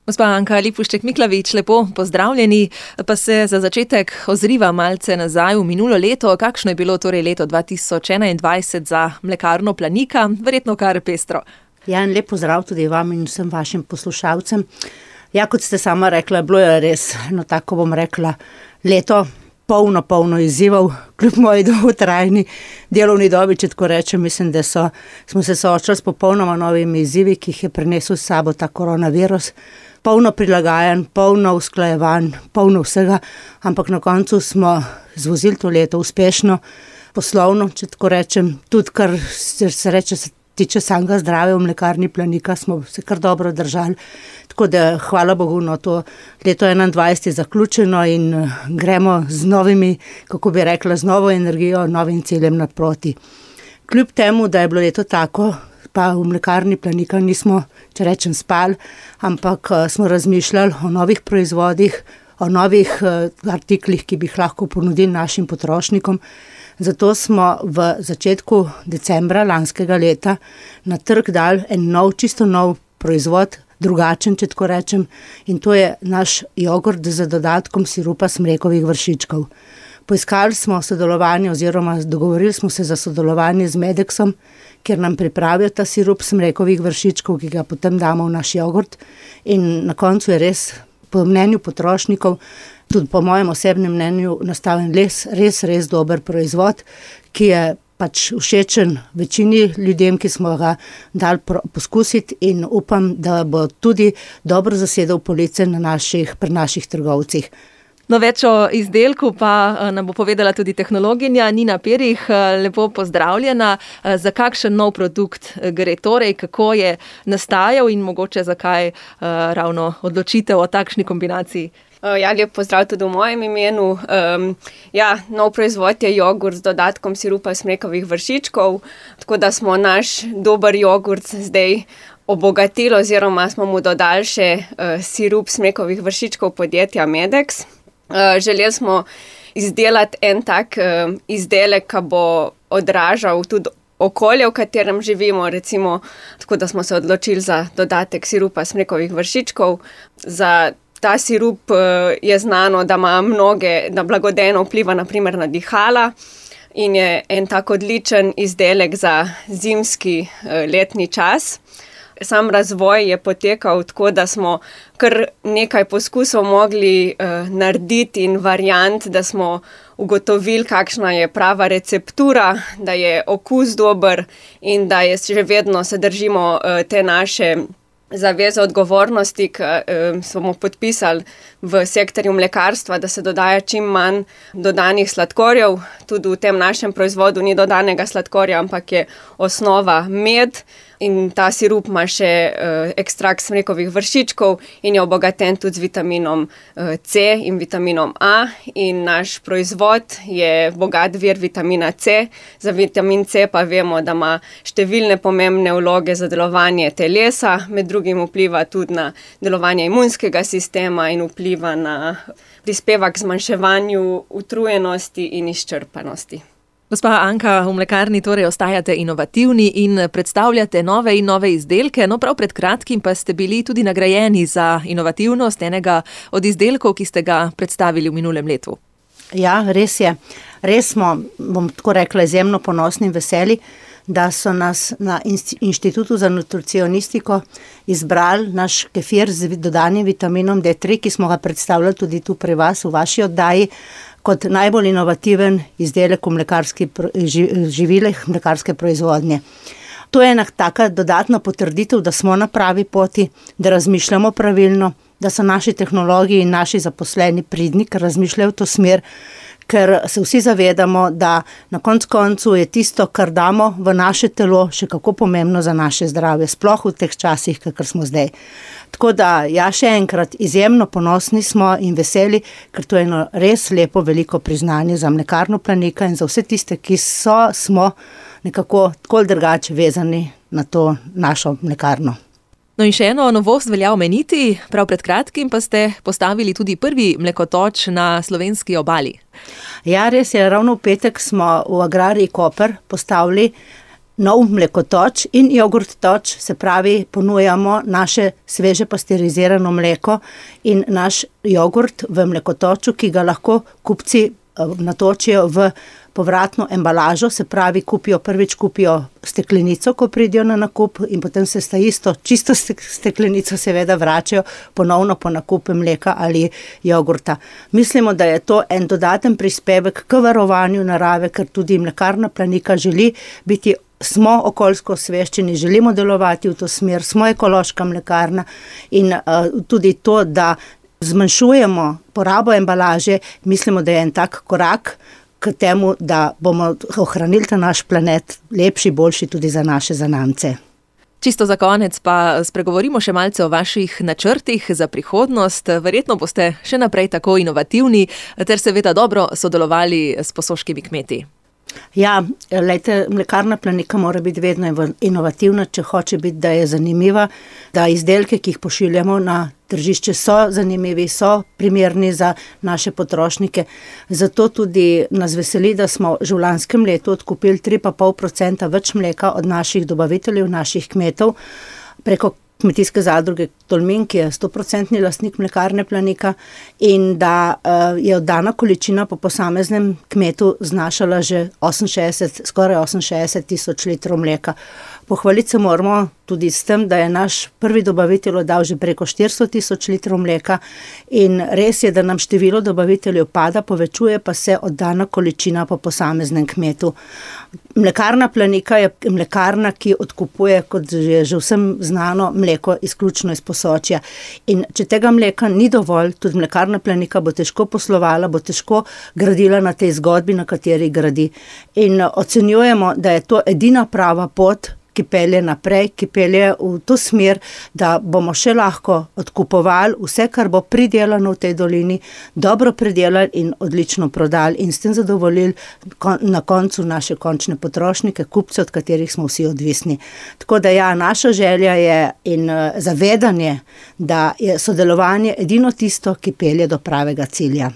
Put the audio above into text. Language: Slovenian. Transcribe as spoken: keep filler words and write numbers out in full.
Gospa Anka Lipušček-Miklavič, lepo pozdravljeni, pa se za začetek ozriva malce nazaj v minulo leto. Kakšno je bilo torej leto dva tisoč enaindvajset za mlekarno Planika? Verjetno kar pestro. Ja, in lep pozdrav tudi vam in vsem vašim poslušalcem. Ja, kot ste sama rekla, bilo je res, no tako bom rekla, leto polno, polno izzivov, kljub moji dolgotrajni delovni dobi, če tako rečem, mislim, da so, smo se soočali s popolnoma novimi izzivi, ki jih je prinesel s sabo ta koronavirus. Polno prilagajanj, polno usklajevanj, polno vsega, ampak na koncu smo zvozili to leto uspešno, poslovno, če tako rečem, tudi kar se reče, se tiče samega zdravja v mlekarni Planika, smo se kar dobro držali. Tako da hvala Bogu, no to leto enaindvajset je zaključeno in gremo z novimi, kako bi rekla, z novo energijo, novim ciljem naproti. Kljub temu, da je bilo leto tako, pa v mlekarni Planika nismo, če rečem, spali, ampak smo razmišljali o novih proizvodih, o novih artiklih, ki bi jih lahko ponudili našim potrošnikom. Zato smo v začetku decembra lanskega leta na trg dali en nov, čisto nov proizvod, drugačen, če tako rečem, in to je naš jogurt z dodatkom sirupa smrekovih vršičkov. Poiskali smo sodelovanje oziroma dogovorili smo se za sodelovanje z Medexom, kjer nam pripravijo ta sirup smrekovih vršičkov, ki ga potem damo v naš jogurt, in na koncu je res, po mnenju potrošnikov, tudi po mojem osebnem mnenju, nastavljen res, res, res dober proizvod, ki je pač všečen večini ljudem, ki smo ga dali poskusiti, in upam, da bo tudi dobro zasedel police na naših, pri naših trgovcih. No, več o izdelku pa nam bo povedala tudi tehnologinja Nina Perih. Lepo pozdravljena. Za kakšen nov produkt gre torej, kako je nastajal in mogoče zakaj ravno odločitev o takšni kombinaciji? Ja, lep pozdrav tudi v mojem imenu. Um, ja, nov proizvod je jogurt z dodatkom sirupa smrekovih vršičkov, tako da smo naš dober jogurt zdaj obogatili oziroma smo mu dodali še uh, sirup smrekovih vršičkov podjetja Medex. Uh, želeli smo izdelati en tak uh, izdelek, ki bo odražal tudi okolje, v katerem živimo, recimo, tako da smo se odločili za dodatek sirupa smrekovih vršičkov. Za ta sirup uh, je znano, da ima mnoge, da blagodejno vpliva na primer na dihala in je en tak odličen izdelek za zimski uh, letni čas. Sam razvoj je potekal tako, da smo kar nekaj poskusov mogli uh, narediti in variant, da smo ugotovili, kakšna je prava receptura, da je okus dober in da je še vedno se držimo uh, te naše zaveze odgovornosti, ki uh, smo podpisali v sektorju mlekarstva, da se dodaja čim manj dodanih sladkorjev. Tudi v tem našem proizvodu ni dodanega sladkorja, ampak je osnova med. In ta sirup ima še uh, ekstrakt smrekovih vršičkov in je obogaten tudi z vitaminom uh, C in vitaminom A. In naš proizvod je bogat vir vitamina C. Za vitamin C pa vemo, da ima številne pomembne vloge za delovanje telesa, med drugim vpliva tudi na delovanje imunskega sistema in vpliva na prispeva k zmanjševanju utrujenosti in izčrpanosti. Gospa Anka, v mlekarni torej ostajate inovativni in predstavljate nove in nove izdelke, no prav pred kratkim pa ste bili tudi nagrajeni za inovativnost enega od izdelkov, ki ste ga predstavili v minulem letu. Ja, res je. Res smo, bom tako rekla, izjemno ponosni in veseli, da so nas na Inštitutu za nutricionistiko izbrali naš kefir z dodanim vitaminom D tri, ki smo ga predstavljali tudi tu pri vas v vaši oddaji, kot najbolj inovativen izdelek v mlekarski živilih, mlekarske proizvodnje. To je ena taka dodatna potrditev, da smo na pravi poti, da razmišljamo pravilno, da so naši tehnologi in naši zaposleni pridni, ker razmišljajo v to smer, ker se vsi zavedamo, da na koncu koncu je tisto, kar damo v naše telo, še kako pomembno za naše zdravje, sploh v teh časih, kakor smo zdaj. Tako da, ja, še enkrat, izjemno ponosni smo in veseli, ker to je eno res lepo, veliko priznanje za mlekarno Planika in za vse tiste, ki so, smo nekako tako drugače vezani na to našo mlekarno. No in še eno novost velja omeniti, prav pred kratkim pa ste postavili tudi prvi mlekotoč na slovenski obali. Ja, res je, ravno v petek smo v Agrariji Koper postavili nov mlekotoč in jogurt toč, se pravi, ponujamo naše sveže pasterizirano mleko in naš jogurt v mlekotoču, ki ga lahko kupci natočijo v povratno embalažo, se pravi, kupijo, prvič kupijo steklenico, ko pridijo na nakup in potem se sta isto, čisto steklenico seveda vračajo ponovno po nakupu mleka ali jogurta. Mislimo, da je to en dodaten prispevek k varovanju narave, ker tudi Mlekarna Planika želi biti, smo okoljsko osveščeni, želimo delovati v to smer, smo ekološka mlekarna in uh, tudi to, da zmanjšujemo porabo embalaže, mislimo, da je en tak korak k temu, da bomo ohranili ta naš planet lepši, boljši tudi za naše zanamce. Čisto za konec pa spregovorimo še malce o vaših načrtih za prihodnost. Verjetno boste še naprej tako inovativni ter seveda dobro sodelovali s posoškimi kmeti. Ja, lejte, Mlekarna Planika mora biti vedno inovativna, če hoče biti, da je zanimiva, da izdelke, ki jih pošiljamo na tržišče, so zanimivi, so primerni za naše potrošnike. Zato tudi nas veseli, da smo že v lanskem letu odkupili tri pa pol procenta več mleka od naših dobaviteljev, naših kmetov, preko Kmetijske zadruge Tolmin, ki je stoprocentni lastnik Mlekarne Planika, in da uh, je oddana količina po posameznem kmetu znašala že oseminšestdeset, skoraj oseminšestdeset tisoč litrov mleka. Pohvaliti se moramo tudi s tem, da je naš prvi dobavitelj oddal že preko štiristo tisoč litrov mleka in res je, da nam število dobaviteljev pada, povečuje pa se oddana količina po posameznem kmetu. Mlekarna Planika je mlekarna, ki odkupuje, kot je že vsem znano, mleko izključno iz Posočja. In če tega mleka ni dovolj, tudi Mlekarna Planika bo težko poslovala, bo težko gradila na tej zgodbi, na kateri gradi. In ocenjujemo, da je to edina prava pot, ki pelje naprej, ki pelje v to smer, da bomo še lahko odkupovali vse, kar bo pridelano v tej dolini, dobro pridelali in odlično prodali in s tem zadovoljili na koncu naše končne potrošnike, kupce, od katerih smo vsi odvisni. Tako da ja, naša želja je in zavedanje, da je sodelovanje edino tisto, ki pelje do pravega cilja.